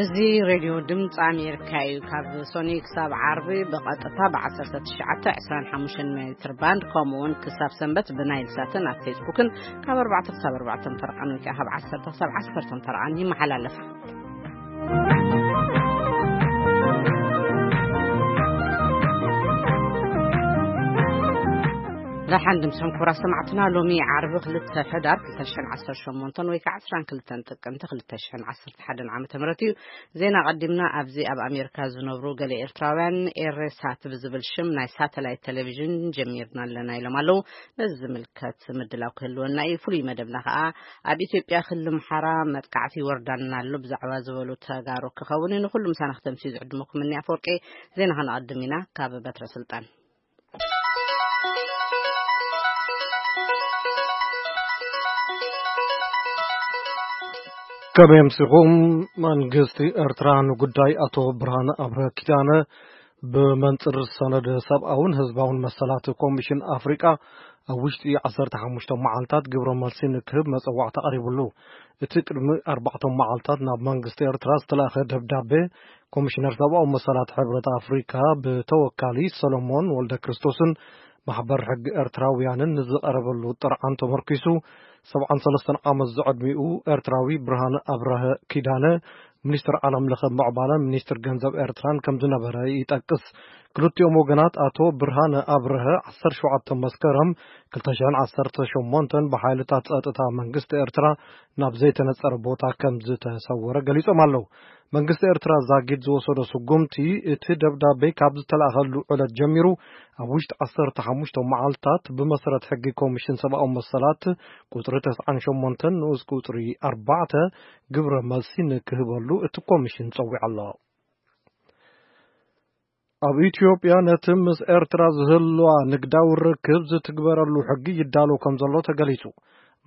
እዚ ሬድዮ ድምፂ ኣሜሪካ እዩ። ካብ ሶኒ ክሳብ ዓርቢ ብቐጥታ ብ1925 ሜትር ባንድ፣ ከምኡውን ክሳብ ሰንበት ብናይል ሳትን ኣብ ፌስቡክን ካብ ኣርባዕተ ክሳብ ኣርባዕተ ፈረቓን ወይ ከዓ ካብ ዓሰርተ ክሳብ ዓሰርተ ፈረቓን ይመሓላለፍ። ደሓን ድምፅኹም ክቡራት ሰማዕትና፣ ሎሚ ዓርቢ ክልተ ሕዳር ክልተ ሽሕን ዓሰርተ ሸሞንተን ወይ ከዓ ዓሰርተ ክልተን ጥቅምቲ ክልተ ሽሕን ዓሰርተ ሓደን ዓመተ ምህረት እዩ። ዜና ቀዲምና ኣብዚ ኣብ ኣሜሪካ ዝነብሩ ገለ ኤርትራውያን ኤሬሳት ብዝብል ሽም ናይ ሳተላይት ቴሌቪዥን ጀሚርና ኣለና ኢሎም ኣለዉ። ነዚ ዝምልከት ምድላው ክህልወና እዩ። ፍሉይ መደብና ከዓ ኣብ ኢትዮጵያ ክልል ኣምሓራ መጥቃዕቲ ይወርዳና ኣሎ ብዛዕባ ዝበሉ ተጋሩ ክኸውን እዩ። ንኩሉ ምሳና ክተምስዩ ዝዕድመኩም እኒ ኣፈወርቂ። ዜና ከነቐድም ኢና ካብ በትረ ስልጣን። ከመይ ኣምሲኹም? መንግስቲ ኤርትራ ንጉዳይ ኣቶ ብርሃነ ኣብርሀ ኪዳነ ብመንጽር ሰነድ ሰብኣውን ህዝባውን መሰላት ኮሚሽን ኣፍሪቃ ኣብ ውሽጢ ዓሰርተ ሓሙሽተ መዓልታት ግብረ መልሲ ንክህብ መጸዋዕታ ቀሪቡሉ። እቲ ቅድሚ ኣርባዕተ መዓልታት ናብ መንግስቲ ኤርትራ ዝተላእኸ ደብዳቤ ኮሚሽነር ሰብኣዊ መሰላት ሕብረት ኣፍሪካ ብተወካሊ ሰሎሞን ወልደ ክርስቶስን ማሕበር ሕጊ ኤርትራውያንን ንዝቐረበሉ ጥርዓን ተመርኪሱ፣ ሰብዓን ሰለስተን ዓመት ዝዕድሚኡ ኤርትራዊ ብርሃነ ኣብርሀ ኪዳነ፣ ሚኒስትር ዓለም ለኸ ምዕባለን ሚኒስትር ገንዘብ ኤርትራን ከም ዝነበረ ይጠቅስ። ክልቲኦም ወገናት፣ ኣቶ ብርሃነ ኣብርሀ ዓሰርተ ሸውዓተ መስከረም ክልተ ሽሕን ዓሰርተ ሸሞንተን ብሓይልታት ጸጥታ መንግስቲ ኤርትራ ናብ ዘይተነጸረ ቦታ ከም ዝተሰወረ ገሊጾም ኣለዉ። መንግስቲ ኤርትራ ዛጊድ ዝወሰዶ ስጉምቲ፣ እቲ ደብዳቤ ካብ ዝተላእኸሉ ዕለት ጀሚሩ ኣብ ውሽጢ ዓሰርተ ሓሙሽተ መዓልታት ብመሰረት ሕጊ ኮሚሽን ሰብኣዊ መሰላት ቁጽሪ ተስዓን ሸሞንተን ንኡስ ቁጽሪ ኣርባዕተ ግብረ መልሲ ንክህበሉ እቲ ኮሚሽን ጸዊዑ ኣሎ። ኣብ ኢትዮጵያ ነቲ ምስ ኤርትራ ዝህልዋ ንግዳዊ ርክብ ዝትግበረሉ ሕጊ ይዳሎ ከም ዘሎ ተገሊጹ።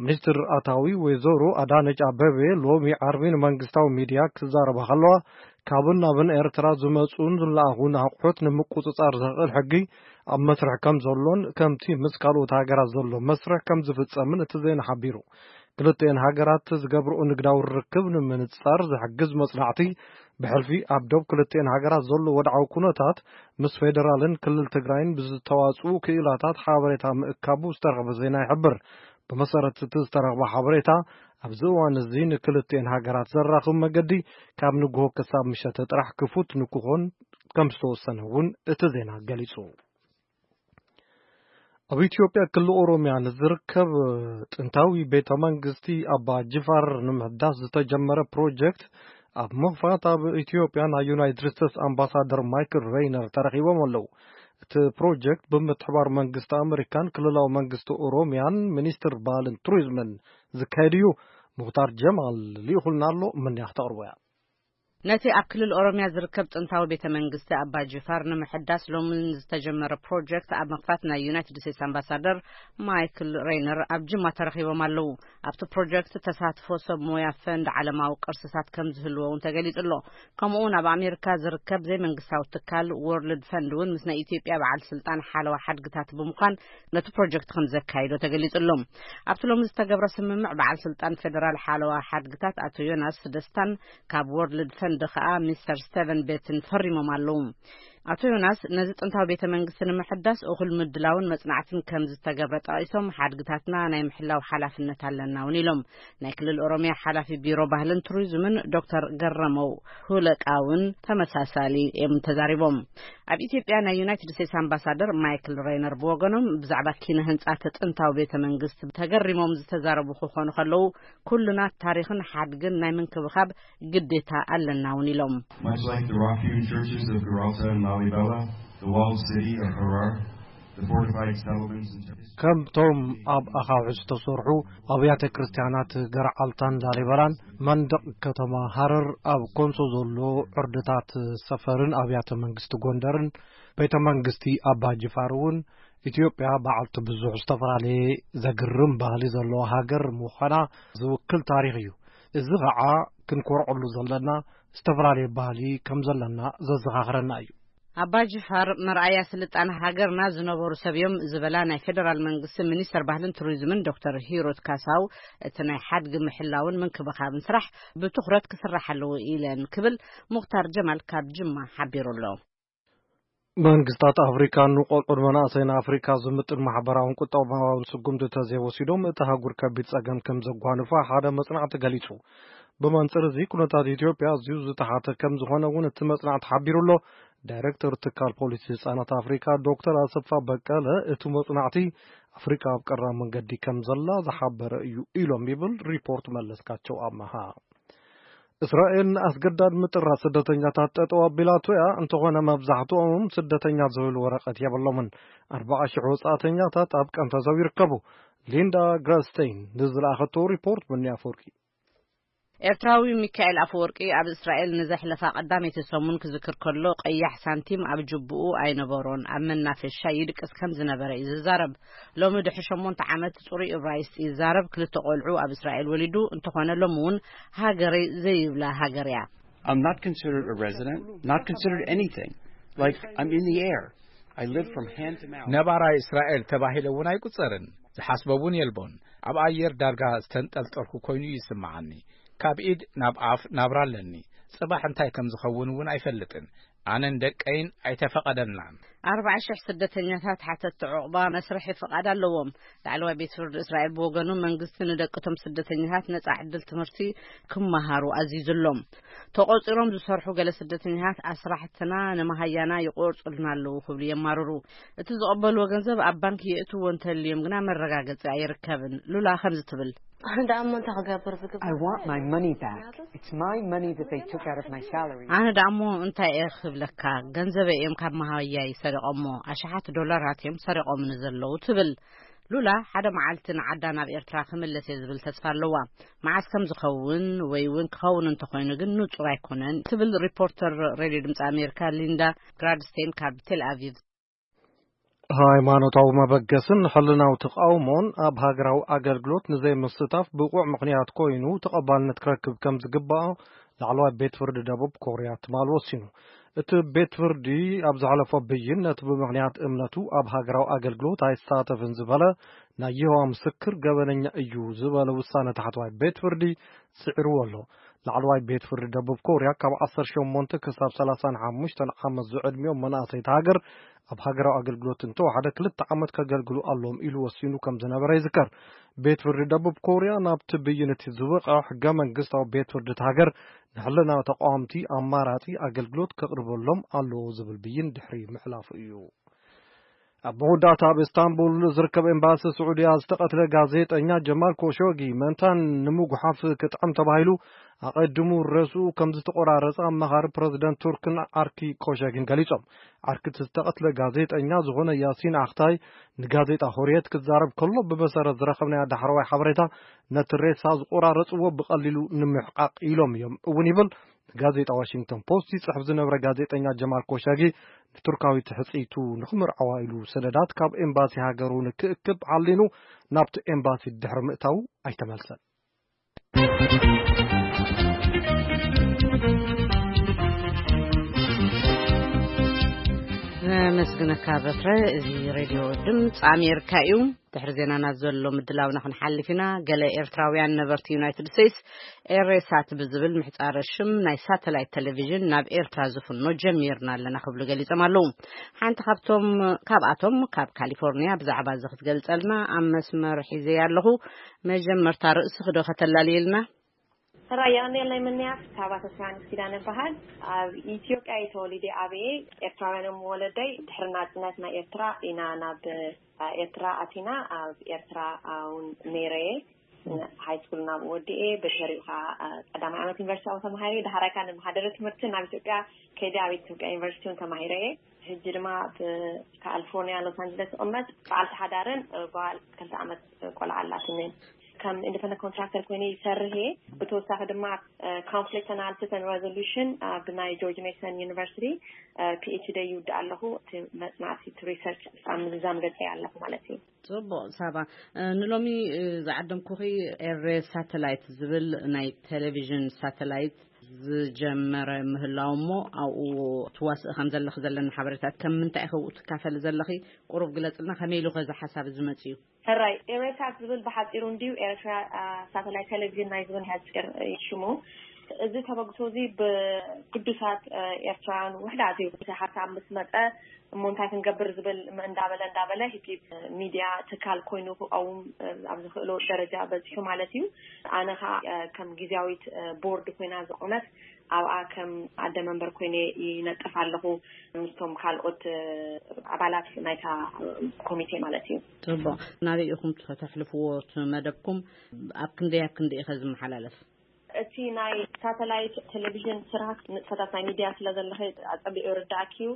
ሚኒስትር ኣታዊ ወይዘሮ ኣዳነች ኣበቤ ሎሚ ዓርቢ ንመንግስታዊ ሚድያ ክዛረባ ከለዋ፣ ካብን ናብን ኤርትራ ዝመጹን ዝለኣኹን ኣቑሑት ንምቁጽጻር ዘኽእል ሕጊ ኣብ መስርሕ ከም ዘሎን ከምቲ ምስ ካልኦት ሃገራት ዘሎ መስርሕ ከም ዝፍጸምን እቲ ዜና ሓቢሩ። ክልቲኤን ሃገራት ዝገብርኦ ንግዳዊ ርክብ ንምንጻር ዝሕግዝ መጽናዕቲ ብሕልፊ ኣብ ዶብ ክልቲኤን ሃገራት ዘሎ ወድዓዊ ኩነታት ምስ ፌደራልን ክልል ትግራይን ብዝተዋጽኡ ክኢላታት ሓበሬታ ምእካቡ ዝተረኽበ ዜና ይሕብር። ብመሰረት እቲ ዝተረኽበ ሓበሬታ፣ ኣብዚ እዋን እዚ ንክልቲኤን ሃገራት ዘራኽብ መገዲ ካብ ንግሆ ክሳብ ምሸተ ጥራሕ ክፉት ንክኾን ከም ዝተወሰነ እውን እቲ ዜና ገሊጹ። ኣብ ኢትዮጵያ ክልል ኦሮሚያ ንዝርከብ ጥንታዊ ቤተ መንግስቲ ኣባ ጅፋር ንምሕዳስ ዝተጀመረ ፕሮጀክት ኣብ ምኽፋት ኣብ ኢትዮጵያ ናይ ዩናይትድ ስቴትስ ኣምባሳደር ማይክል ሬይነር ተረኺቦም ኣለዉ። እቲ ፕሮጀክት ብምትሕባር መንግስቲ ኣመሪካን ክልላዊ መንግስቲ ኦሮሚያን ሚኒስትር ባህልን ቱሪዝምን ዝካየድ እዩ። ሙኽታር ጀማል ልኢኹልና ኣሎ፣ መንያ ክተቕርቦ እያ። ነቲ ኣብ ክልል ኦሮሚያ ዝርከብ ጥንታዊ ቤተ መንግስቲ ኣባ ጅፋር ንምሕዳስ ሎሚ ዝተጀመረ ፕሮጀክት ኣብ ምኽፋት ናይ ዩናይትድ ስቴትስ ኣምባሳደር ማይክል ሬይነር ኣብ ጅማ ተረኺቦም ኣለዉ። ኣብቲ ፕሮጀክት ተሳትፎ ሰብ ሞያ ፈንድ ዓለማዊ ቅርስታት ከም ዝህልዎ እውን ተገሊጹ ኣሎ። ከምኡ እውን ኣብ ኣሜሪካ ዝርከብ ዘይመንግስታዊ ትካል ወርልድ ፈንድ እውን ምስ ናይ ኢትዮጵያ በዓል ስልጣን ሓለዋ ሓድግታት ብምዃን ነቲ ፕሮጀክት ከም ዘካይዶ ተገሊጹ ኣሎ። ኣብቲ ሎሚ ዝተገብረ ስምምዕ በዓል ስልጣን ፌደራል ሓለዋ ሓድግታት ኣቶ ዮናስ ደስታን ካብ ወርልድ ፈንድ ከኣ ሚስተር ስቴቨን ቤትን ፈሪሞም ኣለዉ። ኣቶ ዮናስ ነዚ ጥንታዊ ቤተ መንግስቲ ንምሕዳስ እኹል ምድላውን መጽናዕትን ከም ዝተገብረ ጠቒሶም፣ ሓድግታትና ናይ ምሕላው ሓላፍነት ኣለና እውን ኢሎም። ናይ ክልል ኦሮሚያ ሓላፊ ቢሮ ባህልን ቱሪዝምን ዶክተር ገረመው ሁለቃ እውን ተመሳሳሊ እዮም ተዛሪቦም። ኣብ ኢትዮጵያ ናይ ዩናይትድ ስቴትስ ኣምባሳደር ማይክል ሬይነር ብወገኖም ብዛዕባ ኪነ ህንጻ እቲ ጥንታዊ ቤተ መንግስቲ ተገሪሞም ዝተዛረቡ ክኾኑ ከለዉ፣ ኩልና ታሪኽን ሓድግን ናይ ምንክብኻብ ግዴታ ኣለና እውን ኢሎም። Much like the rock-hewn churches of Gibraltar and Lalibela, the walled city of Harar, the fortified settlements and ከምቶም ኣብ ኣኻውሕ ዝተሰርሑ ኣብያተ ክርስቲያናት ገርዓልታን ላሊበላን መንደቕ ከተማ ሃረር ኣብ ኮንሶ ዘሎ ዕርድታት ሰፈርን ኣብያተ መንግስቲ ጎንደርን ቤተ መንግስቲ ኣባ ጅፋር እውን ኢትዮጵያ በዓልቲ ብዙሕ ዝተፈላለየ ዘግርም ባህሊ ዘለዋ ሃገር ምዃና ዝውክል ታሪኽ እዩ። እዚ ኸዓ ክንኮርዐሉ ዘለና ዝተፈላለየ ባህሊ ከም ዘለና ዘዘኻኽረና እዩ። ኣባ ጅፋር መርኣያ ስልጣነ ሃገርና ዝነበሩ ሰብ እዮም ዝበላ ናይ ፌደራል መንግስቲ ሚኒስተር ባህልን ቱሪዝምን ዶክተር ሂሩት ካሳው፣ እቲ ናይ ሓድጊ ምሕላውን ምንክብኻብን ስራሕ ብትኹረት ክስራሕ ኣለዎ ኢለን ክብል ሙኽታር ጀማል ካብ ጅማ ሓቢሩ ኣሎ። መንግስታት ኣፍሪካ ንቆልዑን መናእሰይን ኣፍሪካ ዝምጥን ማሕበራውን ቁጠባውን ስጉምቲ ተዘይወሲዶም እቲ ኣህጉር ከቢድ ጸገም ከም ዘጓንፋ ሓደ መጽናዕቲ ገሊጹ። ብመንጽር እዚ ኩነታት ኢትዮጵያ ኣዝዩ ዝተሓተ ከም ዝኾነ እውን እቲ መጽናዕቲ ሓቢሩ ኣሎ። ዳይሬክተር ትካል ፖሊሲ ህጻናት ኣፍሪካ ዶክተር ኣሰፋ በቀለ እቲ መጽናዕቲ ኣፍሪካ ኣብ ቀራብ መንገዲ ከም ዘላ ዝሓበረ እዩ ኢሎም ይብል ሪፖርት መለስካቸው ኣመሃ። እስራኤል ንኣስገዳድ ምጥራት ስደተኛታት ጠጠው ኣቢላቶ እያ። እንተኾነ መብዛሕትኦም ስደተኛ ዝብል ወረቐት የብሎምን። ኣርባዓ ሽሕ ወጻእተኛታት ኣብ ቀንፈዘው ይርከቡ። ሊንዳ ግራስቴይን ንዝለኣኸቶ ሪፖርት ብኒ ኣፈወርቂ። ኤርትራዊ ሚካኤል ኣፈወርቂ ኣብ እስራኤል ንዘሕለፋ ቀዳመይቲ ሰሙን ክዝክር ከሎ፣ ቀያሕ ሳንቲም ኣብ ጅቡኡ ኣይነበሮን፣ ኣብ መናፈሻ ይድቅስ ከም ዝነበረ እዩ ዝዛረብ። ሎሚ ድሕሪ ሸሞንተ ዓመት ጽሩይ እብራይስጥ ይዛረብ። ክልተ ቆልዑ ኣብ እስራኤል ወሊዱ፣ እንተኾነ ሎሚ እውን ሃገረይ ዘይብላ ሃገር እያ። I'm not considered a resident, not considered anything. Like, I'm in the air. I live from hand to mouth. ነባራይ እስራኤል ተባሂለ እውን ኣይቁጸርን። ዝሓስቦ እውን የልቦን። ኣብ ኣየር ዳርጋ ዝተንጠልጠልኩ ኮይኑ እዩ ይስምዓኒ። ካብ ኢድ ናብ ኣፍ ናብራ ኣለኒ። ጽባሕ እንታይ ከም ዝኸውን እውን ኣይፈልጥን። ኣነን ደቀይን ኣይተፈቐደልናን። ኣርባዓ ሽሕ ስደተኛታት ሓተትቲ ዑቕባ መስርሒ ፍቓድ ኣለዎም። ላዕለዋይ ቤት ፍርዲ እስራኤል ብወገኑ፣ መንግስቲ ንደቅቶም ስደተኛታት ነጻ ዕድል ትምህርቲ ክመሃሩ ኣዚዙሎም። ተቖጺሮም ዝሰርሑ ገለ ስደተኛታት፣ ኣስራሕትና ንመሃያና ይቆርጹልና ኣለዉ ክብሉ የማርሩ። እቲ ዝቐበልዎ ገንዘብ ኣብ ባንክ የእትዎ እንተልዮም ግና መረጋገጺ ኣይርከብን። ሉላ ከምዚ ትብል። ኣነ ደኣ እሞ እንታይ ክገብር ዝግብኦ? I want my money back. It's my money that they took out of my salary. ኣነ ደኣ እሞ እንታይ እየ ክብለካ? ገንዘበይ እዮም ካብ መሃያይ ሰሪቖሞ። ኣሽሓት ዶላራት እዮም ሰሪቖምኒ ዘለዉ ትብል። ሉላ ሓደ መዓልቲ ንዓዳ ናብ ኤርትራ ክምለስ እየ ዝብል ተስፋ ኣለዋ። መዓስ ከም ዝኸውን ወይ እውን ክኸውን እንተኾይኑ ግን ንጹር ኣይኮነን ትብል ሪፖርተር ሬድዮ ድምፂ ኣሜሪካ ሊንዳ ግራድስቴን ካብ ቴል ኣቪቭ። ሃይማኖታዊ መበገስን ሕልናዊ ተቃውሞን ኣብ ሃገራዊ ኣገልግሎት ንዘይምስታፍ ብቑዕ ምኽንያት ኮይኑ ተቐባልነት ክረክብ ከም ዝግባእ ላዕለዋይ ቤት ፍርዲ ደቡብ ኮርያ ትማል ወሲኑ። እቲ ቤት ፍርዲ ኣብ ዘሕለፎ ብይን፣ ነቲ ብምኽንያት እምነቱ ኣብ ሃገራዊ ኣገልግሎት ኣይሳተፍን ዝበለ ናይ የሆዋ ምስክር ገበነኛ እዩ ዝበለ ውሳነ ታሕተዋይ ቤት ፍርዲ ስዒርዎ ኣሎ። ላዕለዋይ ቤት ፍርዲ ደቡብ ኮርያ ካብ ዓሰርተ ሸሞንተ ክሳብ ሰላሳን ሓሙሽተን ዓመት ዝዕድሚኦም መናእሰይቲ ሃገር ኣብ ሃገራዊ ኣገልግሎት እንተወሓደ ክልተ ዓመት ከገልግሉ ኣለዎም ኢሉ ወሲኑ ከም ዝነበረ ይዝከር። ቤት ፍርዲ ደቡብ ኮርያ ናብቲ ብይን እቲ ዝወቕዐ ሕገ መንግስታዊ ቤት ፍርዲ እቲ ሃገር ንሕልና ተቃወምቲ ኣማራጺ ኣገልግሎት ከቕርበሎም ኣለዎ ዝብል ብይን ድሕሪ ምሕላፉ እዩ። ኣብ መወዳእታ ኣብ ኢስታንቡል ዝርከብ ኤምባሲ ስዑድያ ዝተቐትለ ጋዜጠኛ ጀማል ኮሾጊ መንታን ንምጉሓፍ ክጥዕም ተባሂሉ ኣቐድሙ ርእሱ ከም ዝተቆራረጸ ኣማኻሪ ፕረዚደንት ቱርክን ዓርኪ ኮሾጊን ገሊጾም። ዓርኪ እቲ ዝተቐትለ ጋዜጠኛ ዝኾነ ያሲን ኣኽታይ ንጋዜጣ ሆርየት ክዛረብ ከሎ ብመሰረት ዝረኸብናዮ ዳሕረዋይ ሓበሬታ ነቲ ሬሳ ዝቆራረጽዎ ብቐሊሉ ንምሕቃቕ ኢሎም እዮም እውን ይብል። ንጋዜጣ ዋሽንግተን ፖስት ይጽሕፍ ዝነበረ ጋዜጠኛ ጀማል ኮሻጊ ንቱርካዊት ሕጽይቱ ንኽምርዓዋ ኢሉ ሰነዳት ካብ ኤምባሲ ሃገሩ ንክእክብ ዓሊኑ ናብቲ ኤምባሲ ድሕሪ ምእታዉ ኣይተመልሰን። ነመስግነካ በትረ። እዚ ሬድዮ ድምፂ ኣሜሪካ እዩ። ድሕሪ ዜናና ዘሎ ምድላውና ክንሓልፍ ኢና። ገለ ኤርትራውያን ነበርቲ ዩናይትድ ስቴትስ ኤሬሳት ብዝብል ምሕጻረ ሽም ናይ ሳተላይት ቴሌቪዥን ናብ ኤርትራ ዝፍኖ ጀሚርና ኣለና ክብሉ ገሊጾም ኣለዉ። ሓንቲ ካብቶም፣ ካብኣቶም ካብ ካሊፎርኒያ ብዛዕባ እዚ ክትገልጸልና ኣብ መስመር ሒዘያ ኣለኹ። መጀመርታ ርእስኺ ዶ ከተላልየልና? ሕራይ የቐንየለይ ምንያት፣ ካብ ኣቶ ስራንስ ኪዳነ እበሃል። ኣብ ኢትዮጵያ እየ ተወሊደ ዓብየ። ኤርትራውያን እዮም ወለደይ። ድሕሪ ናጽነት ናይ ኤርትራ ኢና ናብ ኤርትራ ኣቲና። ኣብ ኤርትራ እውን ነይረ እየ። ሃይ ስኩል ናብ ወዲኤ፣ ብድሕሪኡ ኸዓ ቀዳማይ ዓመት ዩኒቨርሲቲ ኣብኡ ተማሂረ። ዳሕራይ ከዓ ንመሃደሪ ትምህርቲ ናብ ኢትዮጵያ ከይደ ኣብ ኢትዮጵያ ዩኒቨርሲቲ እውን ተማሂረ እየ። ሕጂ ድማ ኣብ ካሊፎርኒያ ሎስ ኣንጀለስ እቕመጥ። በዓልቲ ሓዳርን ጓል ክልተ ዓመት ቆልዓ ኣላትኒ። ከም ኢንዲፐንደንት ኮንትራክተር ኮይነ ይሰርሕ እየ። ብተወሳኺ ድማ ኮንፍሊክት ኣናሊሲስ ኤንድ ሬዞሉሽን ኣብ ናይ ጆርጅ ሜሰን ዩኒቨርሲቲ ፒ ኤች ዲ ይውድእ ኣለኹ። እቲ መጽናዕቲ፣ እቲ ሪሰርች ኣብ ምዝዛም ገጸ ኣለኹ ማለት እዩ። ጽቡቕ ሳባ። ንሎሚ ዝዓደምኩኺ ኤሬ ሳተላይት ዝብል ናይ ቴሌቪዥን ሳተላይት ዝጀመረ ምህላው እሞ ኣብኡ ትዋስእ ከም ዘለኺ ዘለና ሓበሬታት ከም ምንታይ ኢኺ ኣብኡ ትካፈሊ ዘለኺ? ቁሩብ ግለጽልና፣ ከመይ ኢሉ ከ እዚ ሓሳብ እዚ መጺኡ? ሕራይ፣ ኤሬሳት ዝብል ብሓጺሩ እንድዩ፣ ኤርትራ ሳተላይት ቴሌቪዥን ናይ ዝብል ሓጺር እዩ ሽሙ። እዚ ተበግሶ እዚ ብግዱሳት ኤርትራውያን ውሕዳት እዩ። እቲ ሓሳብ ምስ መጸ እሞ እንታይ ክንገብር ዝብል እንዳበለ እንዳበለ ሂፒ ሚድያ ትካል ኮይኑ ክቐውም ኣብ ዝኽእሎ ደረጃ በጺሑ ማለት እዩ። ኣነ ከዓ ከም ግዜያዊት ቦርድ ኮይና ዝቆመት ኣብኣ ከም ኣደ መንበር ኮይነ ይነጥፍ ኣለኹ፣ ምስቶም ካልኦት ኣባላት ናይታ ኮሚቴ ማለት እዩ። ጽቡቕ። ናበይ ኢኹም ከተሕልፍዎ እቲ መደብኩም? ኣብ ክንደይ ኣብ ክንደይ ኢኸ ዝመሓላለፍ? እቲ ናይ ሳተላይት ቴሌቪዥን ስራሕ ንጥፈታት ናይ ሚድያ ስለ ዘለኸ ኣጸቢቑ ይርዳእኪ እዩ።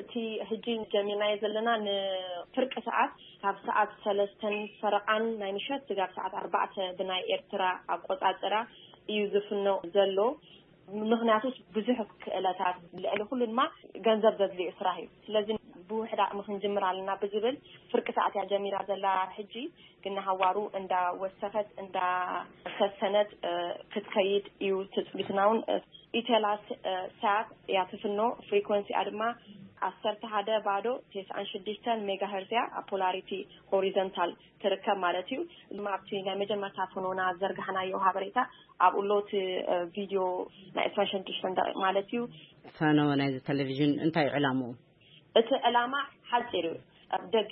እቲ ሕጂ ጀሚርናዮ ዘለና ንፍርቂ ሰዓት ካብ ሰዓት ሰለስተን ፈረቓን ናይ ምሸት ስጋብ ሰዓት ኣርባዕተ ብናይ ኤርትራ ኣቆጻጽራ እዩ ዝፍኖ ዘሎ። ምኽንያቱስ ብዙሕ ክእለታት፣ ልዕሊ ኩሉ ድማ ገንዘብ ዘድልዮ ስራሕ እዩ። ስለዚ ብውሕድ ዓቕሚ ክንጅምር ኣለና ብዝብል ፍርቂ ሰዓት እያ ጀሚራ ዘላ። ሕጂ ግን ንሃዋሩ እንዳወሰኸት እንዳሰሰነት ክትከይድ እዩ ትጽቢትና። እውን ኢቴላስ ሳት እያ ትፍኖ። ፍሪኮንሲኣ ድማ ዓሰርተ ሓደ ባዶ ተስዓን ሽዱሽተን ሜጋሄርዝ እያ ኣብ ፖላሪቲ ሆሪዘንታል ትርከብ ማለት እዩ። ድማ ኣብቲ ናይ መጀመርታ ፍኖና ዘርጋሕናዮ ሓበሬታ ኣብኡ ኣሎ እቲ ቪድዮ ናይ ዕስራን ሽዱሽተን ደቂቕ ማለት እዩ። ፈነወ ናይዚ ቴሌቪዥን እንታይ እዩ ዕላምኡ? እቲ ዕላማ ሓፂር እዩ። ኣብ ደገ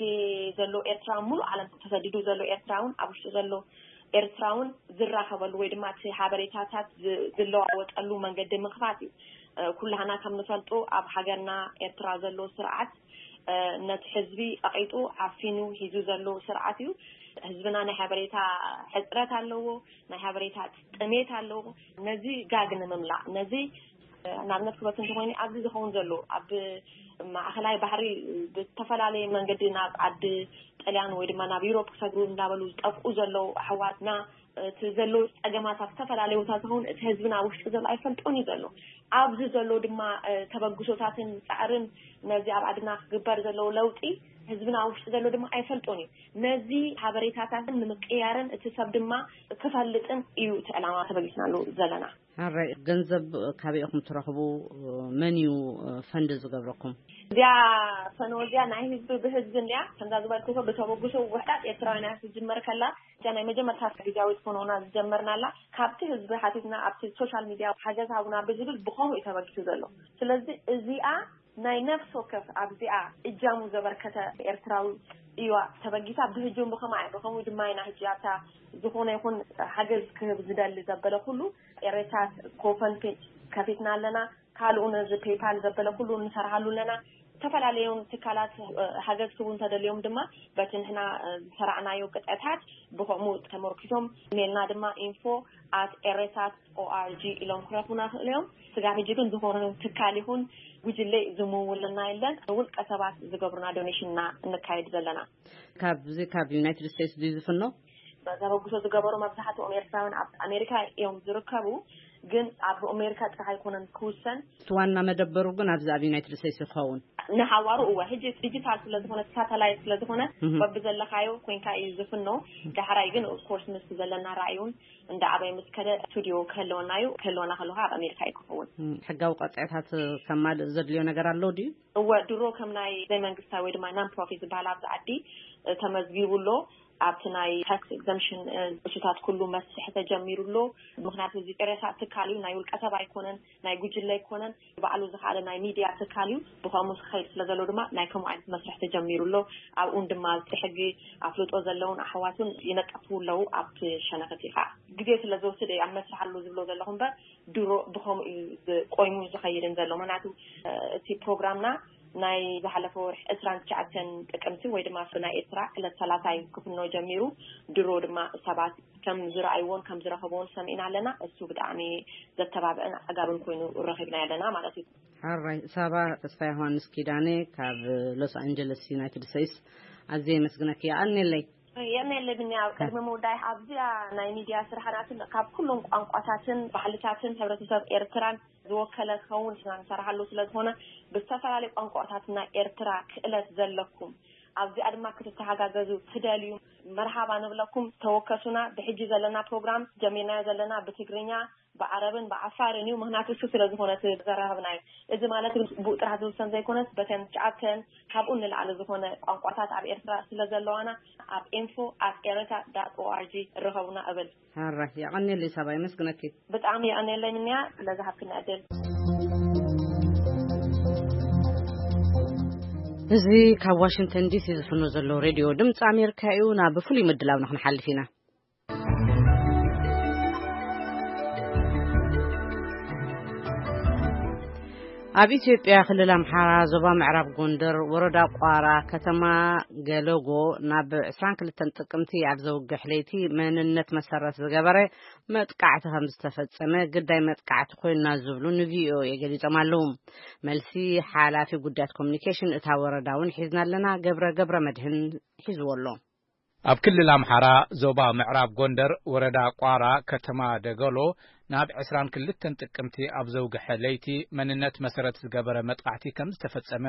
ዘሎ ኤርትራዊ፣ ሙሉእ ዓለም ተሰዲዱ ዘሎ ኤርትራ እውን ኣብ ውሽጢ ዘሎ ኤርትራ እውን ዝራኸበሉ ወይ ድማ እቲ ሓበሬታታት ዝ- ዝለዋወጠሉ መንገዲ ምኽፋት እዩ። ኩላህና ከም ንፈልጦ ኣብ ሃገርና ኤርትራ ዘሎ ስርዓት ነቲ ህዝቢ ቐቒጡ ዓፊኑ ሒዙ ዘሎ ስርዓት እዩ። ህዝብና ናይ ሓበሬታ ሕፅረት ኣለዎ፣ ናይ ሓበሬታ ጥሜት ኣለዎ። ነዚ ጋግ ንምምላእ፣ ነዚ ንኣብነት ክበክ እንተኮይኑ ኣብዚ ዝኸውን ዘሎ ኣብ ማእኸላይ ባሕሪ ብዝተፈላለየ መንገዲ ናብ ዓዲ ጥልያን ወይ ድማ ናብ ዩሮፕ ክሰግሩ እንዳበሉ ዝጠፍኡ ዘለዉ ኣሕዋትና እቲ ዘሎ ፀገማት ኣብ ዝተፈላለዩ ቦታ ዝኸውን እቲ ህዝብና ኣብ ውሽጢ ዘሎ ኣይፈልጦን እዩ ዘሎ። ኣብዚ ዘሎ ድማ ተበግሶታትን ፃዕርን ነዚ ኣብ ዓድና ክግበር ዘለዎ ለውጢ ህዝብና ኣብ ውሽጢ ዘሎ ድማ ኣይፈልጦን እዩ። ነዚ ሓበሬታታትን ንምቅያርን እቲ ሰብ ድማ ክፈልጥን እዩ እቲ ዕላማ ተበጊስናሉ ዘለና። ሓራይ ገንዘብ ካበይ ኢኹም ትረኽቡ? መን እዩ ፈንድ ዝገብረኩም? እዚኣ ፈኖ እዚኣ ናይ ህዝቢ ብህዝቢ እንዲያ ከምዛ ዝበልክዎ ብተበግሶ ውሕዳት ኤርትራውያን እያ ትጅመር ከላ እዚኣ ናይ መጀመርታ ግዜያዊት ፈኖና ዝጀመርናላ ካብቲ ህዝቢ ሓቲትና ኣብቲ ሶሻል ሚድያ ሓገዝ ሃቡና ብዝብል ብኸምኡ እዩ ተበጊሱ ዘሎ። ስለዚ እዚኣ ናይ ነፍስ ወከፍ ኣብዚኣ እጃሙ ዘበርከተ ኤርትራዊ እዩዋ ተበጊሳ ብህጁም ብኸማ ብኸምኡ ድማ ኢና ህጂ ኣብታ ዝኾነ ይኹን ሓገዝ ክህብ ዝደሊ ዘበለ ኩሉ ኤሬሳት ኮፈን ፔጅ ከፊትና ኣለና። ካልኡ ነዚ ፔይፓል ዘበለ ኩሉ ንሰርሃሉ ኣለና። ዝተፈላለዩ ትካላት ሓገዝ ክቡ እንተደልዮም ድማ በቲ ንሕና ዝሰራዕናዮ ቅጥዕታት ብኸምኡ ተመርኪሶም ኢሜልና ድማ ኢንፎ ኣት ኤሬሳት ኦኣርጂ ኢሎም ክረኽቡና ክእሉ እዮም። ስጋብ ሕጂ ግን ዝኾነ ትካል ይኹን ጉጅለ ዝምውልና የለን። ውልቀ ሰባት ዝገብሩና ዶኔሽንና እንካየድ ዘለና። ካብዚ ካብ ዩናይትድ ስቴትስ ድዩ ዝፍኖ? ተበግሶ ዝገበሩ መብዛሕትኦም ኤርትራውያን ኣብ ኣሜሪካ እዮም ዝርከቡ። ግን ኣብ ኣሜሪካ ጥራሕ ኣይኮነን ክውሰን። እቲ ዋና መደበሩ ግን ኣብዚ ኣብ ዩናይትድ ስቴትስ ይኸውን። ንሃዋሩ እወ ሕጂ ዲጂታል ስለዝኾነ ሳተላይት ስለዝኾነ በብዘለካዮ ኮይንካ እዩ ዝፍኖ። ዳሕራይ ግን ኦፍኮርስ ምስ ዘለና ራእዩን እንዳ ኣበይ ምስ ከደ ስቱዲዮ ክህልወና እዩ። ክህልወና ከለካ ኣብ ኣሜሪካ እዩ ክኸውን። ሕጋዊ ቀፅዕታት ከማልእ ዘድልዮ ነገር ኣሎ ድዩ? እወ ድሮ ከም ናይ ዘይመንግስታዊ ወይ ድማ ናን ፕሮፊት ዝበሃል ኣብዚ ዓዲ ተመዝጊቡ ኣሎ። ኣብቲ ናይ ታክስ ኤግዘምሽን እሱታት ኩሉ መስርሒ ተጀሚሩ ኣሎ። ምክንያቱ እዚ ኤሬሳት ትካል እዩ፣ ናይ ውልቀ ሰብ ኣይኮነን፣ ናይ ጉጅለ ኣይኮነን፣ ባዕሉ ዝኸኣለ ናይ ሚድያ ትካል እዩ። ብኸምኡ ክኸይድ ስለ ዘሎ ድማ ናይ ከምኡ ዓይነት መስርሒ ተጀሚሩ ኣሎ። ኣብኡን ድማ ኣብቲ ሕጊ ኣፍልጦ ዘለውን ኣሕዋቱን ይነቀፉ ኣለዉ። ኣብቲ ሸነኽቲ ከዓ ግዜ ስለ ዝወስድ እየ ኣብ መስርሒ ኣሎ ዝብሎ ዘለኹ እምበር ድሮ ብኸምኡ እዩ ቆይሙ ዝኸይድን ዘሎ። ምክንያቱ እቲ ፕሮግራምና ናይ ዝሓለፈ ወርሒ ዕስራን ትሽዓተን ጥቅምቲ ወይ ድማ ናይ ኤርትራ ዕለት ሰላሳ እዩ ክፍኖ ጀሚሩ። ድሮ ድማ ሰባት ከም ዝረኣይዎን ከም ዝረኸብዎን ሰሚዕና ኣለና። እሱ ብጣዕሚ ዘተባብዕን ኣጋብን ኮይኑ ረኺብና ኣለና ማለት እዩ። ሓራይ ሳባ ተስፋ ዮሃንስ ኪዳነ ካብ ሎስ ኣንጀለስ ዩናይትድ ስቴትስ ኣዝየ የመስግነኪ። የቐንየለይ። የመለብኛ ኣብ ቅድሚ ምውዳይ ኣብዚኣ ናይ ሚድያ ስራሕናትን ካብ ኩሎም ቋንቋታትን ባህልታትን ሕብረተሰብ ኤርትራን ዝወከለ ክኸውን ኢና ንሰርሓሉ ስለ ዝኾነ ብዝተፈላለዩ ቋንቋታት ናይ ኤርትራ ክእለት ዘለኩም ኣብዚኣ ድማ ክትተሃጋገዙ ትደልዩ መርሃባ ንብለኩም። ተወከሱና። ብሕጂ ዘለና ፕሮግራም ጀሚርናዮ ዘለና ብትግርኛ ብዓረብን ብዓፋርን እዩ። ምኽንያቱ እሱ ስለ ዝኾነ እቲ ዘራኸብናዮ። እዚ ማለት ግን ብኡ ጥራሕ ዝውሰን ዘይኮነስ፣ በተን ትሽዓተን ካብኡ ንላዕሊ ዝኾነ ቋንቋታት ኣብ ኤርትራ ስለ ዘለዋና፣ ኣብ info at ereta dot org ርኸቡና እብል። ሃራ፣ የቐንየለይ ሳባ፣ የመስግነኪ። ብጣዕሚ የቐንየለይ ምንያ፣ ስለ ዝሃብክኒ ዕድል። እዚ ካብ ዋሽንግተን ዲሲ ዝፍኖ ዘሎ ሬድዮ ድምፂ ኣሜሪካ እዩ። ናብ ፍሉይ ምድላውና ክንሓልፍ ኢና። ኣብ ኢትዮጵያ ክልል ኣምሓራ ዞባ ምዕራብ ጎንደር ወረዳ ቋራ ከተማ ገለጎ ናብ ዕስራን ክልተን ጥቅምቲ ኣብ ዘውግሕ ለይቲ መንነት መሰረት ዝገበረ መጥቃዕቲ ከም ዝተፈጸመ ግዳይ መጥቃዕቲ ኮይና ዝብሉ ንቪኦኤ ገሊጾም ኣለዉ። መልሲ ሓላፊ ጉዳያት ኮሚኒኬሽን እታ ወረዳ እውን ሒዝና ኣለና። ገብረ ገብረ መድህን ሒዝዎ ኣሎ። ኣብ ክልል ኣምሓራ ዞባ ምዕራብ ጎንደር ወረዳ ቋራ ከተማ ደገሎ ናብ ዕስራን ክልተን ጥቅምቲ ኣብ ዘውግሐ ለይቲ መንነት መሰረት ዝገበረ መጥቃዕቲ ከም ዝተፈጸመ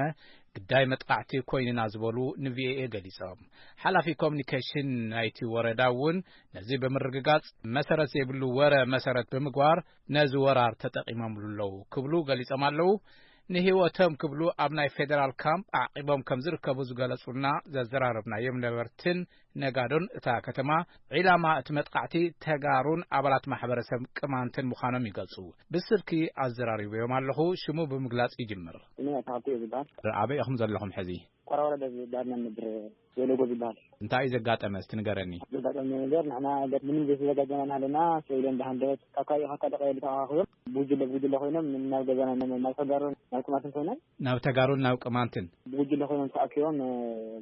ግዳይ መጥቃዕቲ ኮይንና ዝበሉ ንቪኦኤ ገሊጾም። ሓላፊ ኮሚኒኬሽን ናይቲ ወረዳ እውን ነዚ ብምርግጋጽ፣ መሰረት ዘይብሉ ወረ መሰረት ብምግባር ነዚ ወራር ተጠቒሞምሉ ኣለዉ ክብሉ ገሊጾም ኣለዉ። ንህይወቶም ክብሉ ኣብ ናይ ፌደራል ካምፕ ኣዕቂቦም ከም ዝርከቡ ዝገለጹልና ዘዘራረብናዮም ነበርትን ነጋዶን እታ ከተማ፣ ዒላማ እቲ መጥቃዕቲ ተጋሩን ኣባላት ማሕበረሰብ ቅማንትን ምዃኖም ይገልጹ። ብስልኪ ኣዘራሪበዮም ኣለኹ። ሽሙ ብምግላጽ ይጅምር። ስሜ ኣታሃቱ እዩ ዝበሃል። ኣበይ ኢኹም ዘለኹም ሕዚ? ቆራ ወረዳ ዝበሃል ናብ ምድሪ ወለጎ ዝበሃል። እንታይ እዩ ዘጋጠመ? እስቲ ንገረኒ። ዘጋጠመ ነገር፣ ንሕና ገ-፣ ምንም ዘይተዘጋጀና እናሃለና፣ ሰው ኢሎም ብሃንደበት ካብ ካባቢ ካብ ካልእ ቀበሌ ተኣኻኺቦም፣ ብጉጅለ ብጉጅለ ኮይኖም ናብ ገዛና፣ ናብ፣ ናብ ተጋሩን ናብ ቅማንትን ኮይኖም። ናብ ተጋሩን ናብ ቅማንትን? ብጉጅለ ኮይኖም ተኣኪቦም፣ እ፣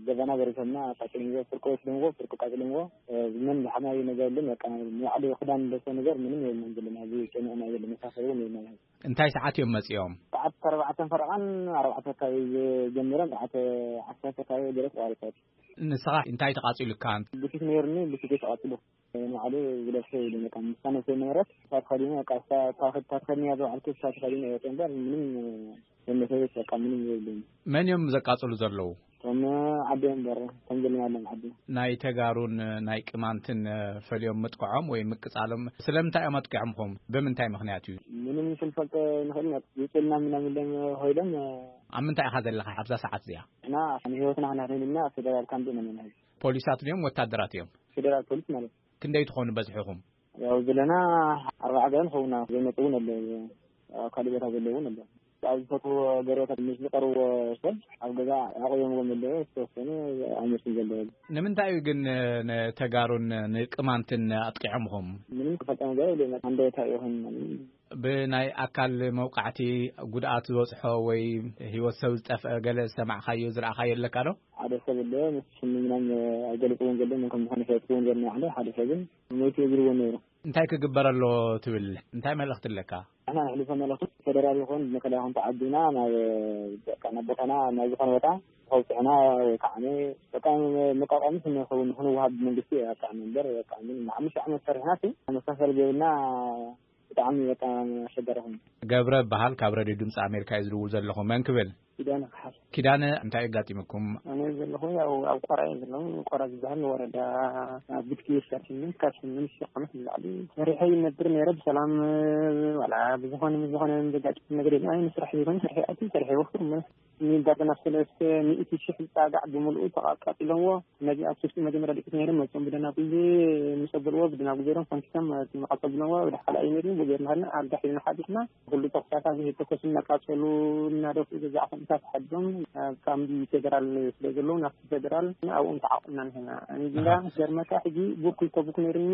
ገዛና ዘሪሶምና፣ ኣቃጺሎምዎ፣ ፍርቂ ወሲዶምዎ፣ ፍርቂ ኣቃጺሎምዎ። እ፣ ምንም ዝሓዝናዮ ነገር የለን። በቃ፣ ንባዕሉ ክዳን ንለብሶ ነገር ምንም የለን ዘለና። እዚ ጨሚዕና የለን፣ መሳፈሪ እውን የለን። እንታይ ሰዓት እዮም መጺኦም? ሰዓት ኣርባዕተን ፈረቓን ኣርባዕተ ኣካባቢ ጀሚሮም፣ ሰዓት ዓሰርተ ኣካባቢ ገለ ተቋሪጾም። ንስኻ እንታይ ተቓጺሉካ? ቡቲክ ነይሩኒ፣ ቡቲክ ተቓጺሉ። ንባዕሉ ዝለብሶ የለን፣ በቃ፣ ንሳ ነብሰይ ነበረት፣ እሳ ተኸዲነ፣ በቃ፣ እሳ፣ እታ፣ እታ ተኸዲነያ ዝወዓልኩ፣ እሳ ተኸዲነ እየ ወፅየ እምበር፣ ምንም፣ መመሰበት፣ በቃ፣ ምንም የብለይን። መን እዮም ዘቃጽሉ ዘለዉ? እቶም ዓዲ እዮም እምበር፣ ከም ዘለና ኣለና ዓዲ። ናይ ተጋሩን ናይ ቅማንትን ፈልዮም ምጥቅዖም ወይ ምቅጻሎም ስለምንታይ እዮም ኣጥቂዖምኹም? ብምንታይ ምኽንያት እዩ? ምንም ክንፈልጦ ንኽእል ኢና። ይውፅልና ምናምን ኢሎም ኮይዶም። ኣብ ምንታይ ኢኻ ዘለኻ ኣብዛ ሰዓት እዚኣ? ንሕና ንህይወትና ክናኽንልና ፌደራል ካምፕ ኢና ዘለና። ፖሊሳት ድዮም ወታደራት እዮም? ፌደራል ፖሊስ ማለት። ክንደይ ትኾኑ በዝሕኹም? ያው ዘለና ኣርባዓ ገለ ንኸውን ኢና። ዘይመፁ እውን ኣለዉ። ኣብ ካልእ ቦታ ዘለዉ እውን ኣለዉ። ኣብ ዝፈትዎ ገረታት ምስ ዝቐርብዎ ሰብ ኣብ ገዛ ኣቑዮምዎም ዘለዉ፣ ዝተወሰኑ ኣይመፁን ዘለዉ። ንምንታይ እዩ ግን ንተጋሩን ንቅማንትን ኣጥቂዖምኹም? ምንም ክፈልጦ ነገር የለን። ሃንደበታዊ ይኹን ብናይ ኣካል መውቃዕቲ ጉድኣት ዝበፅሖ ወይ ህይወት ሰብ ዝጠፍአ ገለ ዝሰማዕካዮ ዝረኣኻዮ ኣለካ ዶ? ሓደ ሰብ ኣሎ፣ ምስ ሽሙ ምናምን ኣይገልፅዎን ዘሎ፣ መን ከም ዝኾነ ኣይፈልጥዎን ዘሎ፣ ሓደ ሰብን ሞይቱ እግርዎ ነይሩ። እንታይ ክግበር ኣለዎ ትብል? እንታይ መልእኽቲ ኣለካ? ንሕና ነሕልፎ መልእኽቲ፣ ፌደራል ይኹን መከላኸያ ይኹን ተዓዲና ናብ፣ በቃ፣ ናብ ቦታና፣ ናብ ዝኾነ ቦታ ከውፅዕና ወይ ከዓ በቃ፣ መቋቋሚ ክንኸውን፣ ክንወሃብ መንግስቲ ኣጣዕሚ እምበር፣ በቃ፣ ምን ንሓሙሽተ ዓመት ሰሪሕና፣ እቲ መሳፈሪ ዘይብልና ብጣዕሚ በቃ ኣሸጋሪ ኮይኑ። ገብረ እበሃል፣ ካብ ሬድዮ ድምፂ ኣሜሪካ እዩ ዝድውል ዘለኹ። መን ክብል? ኪዳነ ክሓል። ኪዳነ፣ እንታይ ኣጋጢሙኩም? ኣነ ዘለኹ ያው ኣብ ቆራ እየ ዘለኹ። ቆራ ዝበሃል ወረዳ ኣብ ብትኪ ሰርሕኒ ካብ ስምንት ሺሕ ዓመት ንላዕሊ ሰሪሐ ይነብር ነይረ ብሰላም። ዋላ ብዝኾነ ምስ ዝኾነ ዘጋጥም ነገር የለን። ኣይ ንስራሕ ይኹን ስርሒ ኣቲ ሰሪሐ ይወፍር እሞ ንዳርጋ ናብ ሰለስተ ሚእቲ ሺሕ ዝፃጋዕ ብምልኡ ተቃቃጢሎምዎ። ነዚ ኣብ ትሽቲ መጀመርያ ደቂት ነይሮም መፅኦም ብደናጉል ምስ ኣበልዎ ብደናጉል ገይሮም ፈንኪቶም መቃፀል ብሎምዎ። ወደ ሓላ እዩ ነይሩ ብገርናሃልና ኣልጋ ሒዝና ሓዲርና ኩሉ ተኩሳታት ዝተኮሱ እናቃፀሉ እናደፍኡ ገዛ ዓኹምታት ሓዲሮም ኣብ ካምቢ ፌደራል ስለ ዘለዉ ናብቲ ፌደራል ኣብኦም ተዓቑና ንሕና እንዳ ገርመካ ሕጂ ቡክ ይተቡክ ነይሩኒ።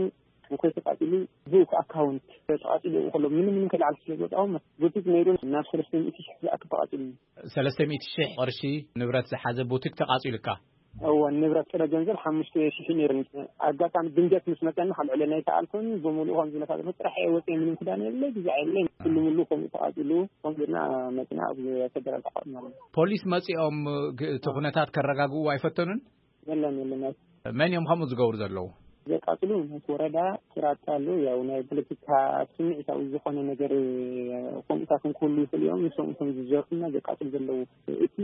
ቡክ ተቃፂሉ ቡክ ኣካውንት ተቃፂሉ ከሎ ምንም ምንም ከይለዓል ስለ ዝወጣዎም ቡቲክ ነይሩ ናብ ሰለስተ ሚእቲ ሺሕ ዝኣክል ተቃፂሉ። ሰለስተ ሚእቲ ሺሕ ቅርሺ ንብረት ዝሓዘ ቡቲክ ተቃፂሉካ? እወ፣ ንብረት ጥረ ገንዘብ ሓሙሽተ ሽሕ ነይሩ። ኣጋጣሚ ድንገት ምስ መፀኒ ካብ ልዕለና ኣይተኣልኩን። ብምሉኡ ከም ዝብለካ ዘለኹ ጥራሕ እየ ወፅየ፣ ምንም ክዳን የብለይ፣ ግዛዕ የብለይ። ኩሉ ምሉ ከምኡ ተቃፂሉ፣ ከም ጌርና መፂና ኣብ ፌደራል ተቃፂልና ኣለና። ፖሊስ መፂኦም ግ-፣ እቲ ኩነታት ከረጋግእዎ ኣይፈተኑን? የለን፣ የለን። መን እዮም ከምኡ ዝገብሩ ዘለዉ? ዘቃፅሉ ምስ ወረዳ ስራጣ ኣለዉ። ያው ናይ ፖለቲካ ስምዒታዊ ዝኾነ ነገር ከምኡታት ክህሉ ይኽእሉ እዮም። ንሶም እቶም ዝዘርፉና ዘቃፅሉ ዘለዉ። እቲ